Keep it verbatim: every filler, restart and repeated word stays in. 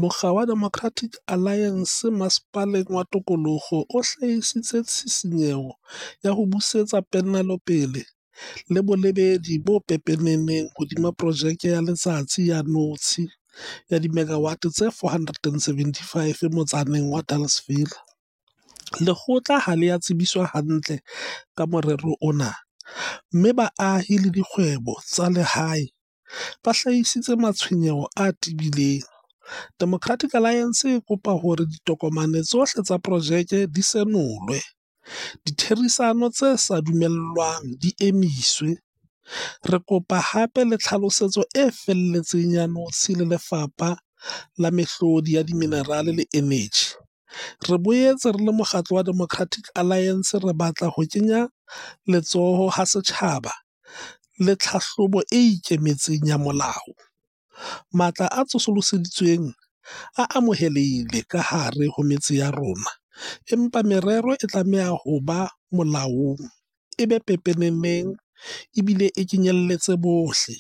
Mokga wa Democratic Alliance Masepaleng wa Tokoloho o hlahisitse tshisinyeho ya ho busetsa ponelopele le bolebedi bo pepeneneng hodima projeke ya letsatsi ya notshi ya dimegawate tse four hundred and seventy-five motsaneng wa Delareyville. Lekgotla ha le a tsebiswa hantle ka morero ona, mme baahi le dikgwebo tsa lehae ba hlahisitse matshwenyeho a tebileng. Democratic Alliance e kopa hore ditokomane tsohle tsa projeke di senolwe, ditherisano tse sa dumellwang di emiswe. Re kopa hape le tlhalosetso e felletseng ya notshi le Lefapha la Mehlodi ya Diminerale le Eneji. Re boetse re le mokgatlo wa Democratic Alliance re batla ho kenya letsoho ha setjhaba le tlhahlobo e ikemetseng ya molao. Matla a tsosoloseditsweng a amohelehile ka hare ho metse ya rona, empa merero e tlameha ho ba molaong, e be pepeneneng ebile e kenyeletse bohle.